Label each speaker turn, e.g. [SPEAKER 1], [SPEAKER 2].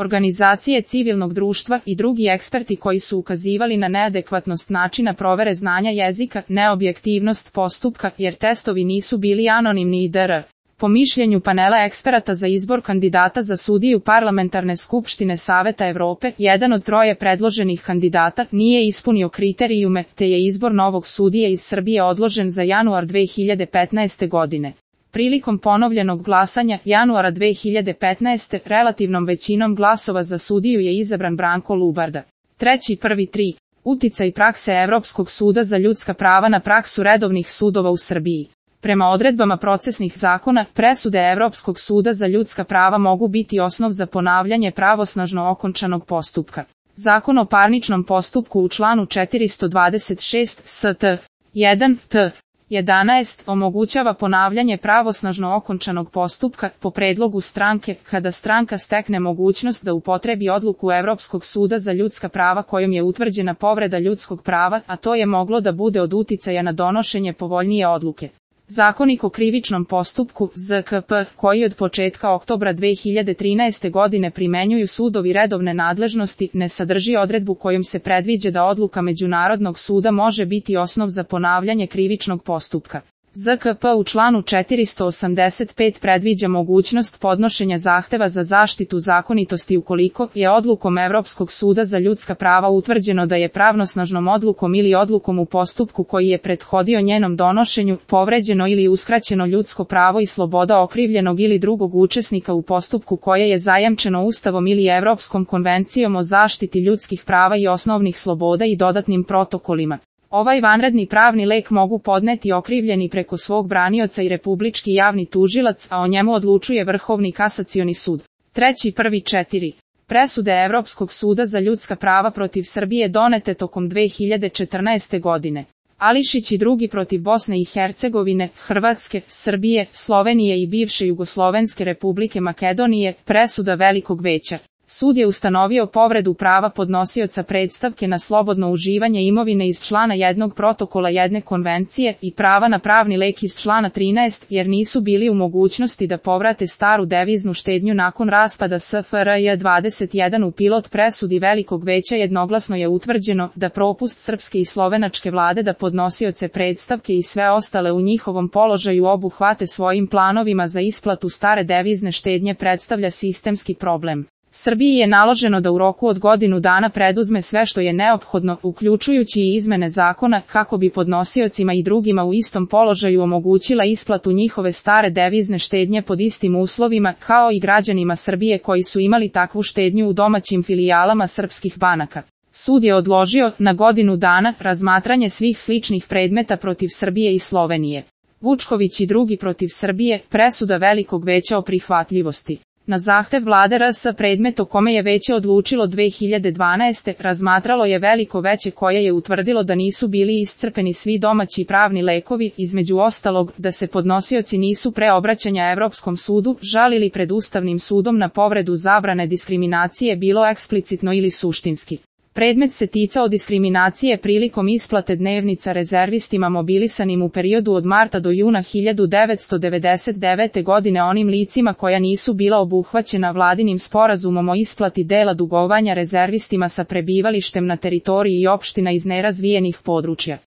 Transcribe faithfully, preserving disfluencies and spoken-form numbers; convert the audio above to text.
[SPEAKER 1] Organizacije civilnog društva i drugi eksperti koji su ukazivali na neadekvatnost načina provere znanja jezika, neobjektivnost postupka, jer testovi nisu bili anonimni itd. Po mišljenju panela eksperata za izbor kandidata za sudiju Parlamentarne skupštine Saveta Evrope, jedan od troje predloženih kandidata nije ispunio kriterijume, te je izbor novog sudije iz Srbije odložen za januar dve hiljade petnaeste. godine. Prilikom ponovljenog glasanja, januara dve hiljade petnaeste. relativnom većinom glasova za sudiju je izabran Branko Lubarda. Treći prvi tri. Uticaj prakse Evropskog suda za ljudska prava na praksu redovnih sudova u Srbiji. Prema odredbama procesnih zakona, presude Evropskog suda za ljudska prava mogu biti osnov za ponavljanje pravosnažno okončanog postupka. Zakon o parničnom postupku u članu četiristo dvadeset šest st. jedan t. jedanaest omogućava ponavljanje pravosnažno okončanog postupka po predlogu stranke, kada stranka stekne mogućnost da upotrebi odluku Evropskog suda za ljudska prava kojom je utvrđena povreda ljudskog prava, a to je moglo da bude od uticaja na donošenje povoljnije odluke. Zakonik o krivičnom postupku, Z K P, koji od početka oktobra dve hiljade trinaeste. godine primenjuju sudovi redovne nadležnosti, ne sadrži odredbu kojom se predviđa da odluka Međunarodnog suda može biti osnov za ponavljanje krivičnog postupka. Z K P u članu četiristo osamdeset pet predviđa mogućnost podnošenja zahteva za zaštitu zakonitosti ukoliko je odlukom Evropskog suda za ljudska prava utvrđeno da je pravnosnažnom odlukom ili odlukom u postupku koji je prethodio njenom donošenju povređeno ili uskraćeno ljudsko pravo i sloboda okrivljenog ili drugog učesnika u postupku koje je zajamčeno Ustavom ili Evropskom konvencijom o zaštiti ljudskih prava i osnovnih sloboda i dodatnim protokolima. Ovaj vanredni pravni lek mogu podneti okrivljeni preko svog branioca i republički javni tužilac, a o njemu odlučuje Vrhovni kasacioni sud. Treći prvi četiri. Presude Evropskog suda za ljudska prava protiv Srbije donete tokom dve hiljade četrnaeste. godine. Ališić i drugi protiv Bosne i Hercegovine, Hrvatske, Srbije, Slovenije i bivše Jugoslovenske republike Makedonije, presuda Velikog veća. Sud je ustanovio povredu prava podnosioca predstavke na slobodno uživanje imovine iz člana jednog protokola jedne konvencije i prava na pravni lek iz člana trinaest, jer nisu bili u mogućnosti da povrate staru deviznu štednju nakon raspada S F R J dvadeset jedan. U pilot presudi Velikog veća jednoglasno je utvrđeno da propust srpske i slovenačke vlade da podnosioce predstavke i sve ostale u njihovom položaju obuhvate svojim planovima za isplatu stare devizne štednje predstavlja sistemski problem. Srbiji je naloženo da u roku od godinu dana preduzme sve što je neophodno, uključujući i izmene zakona, kako bi podnosiocima i drugima u istom položaju omogućila isplatu njihove stare devizne štednje pod istim uslovima, kao i građanima Srbije koji su imali takvu štednju u domaćim filijalama srpskih banaka. Sud je odložio, na godinu dana, razmatranje svih sličnih predmeta protiv Srbije i Slovenije. Vučković i drugi protiv Srbije, presuda Velikog veća o prihvatljivosti. Na zahtev vlade R S predmet o kome je veće odlučilo dve hiljade dvanaeste. razmatralo je Veliko veće koje je utvrdilo da nisu bili iscrpeni svi domaći pravni lekovi, između ostalog, da se podnosioci nisu pre obraćanja Evropskom sudu žalili pred Ustavnim sudom na povredu zabrane diskriminacije bilo eksplicitno ili suštinski. Predmet se ticao diskriminacije prilikom isplate dnevnica rezervistima mobilisanim u periodu od marta do juna hiljadu devetsto devedeset devete. godine onim licima koja nisu bila obuhvaćena vladinim sporazumom o isplati dela dugovanja rezervistima sa prebivalištem na teritoriji opština iz nerazvijenih područja.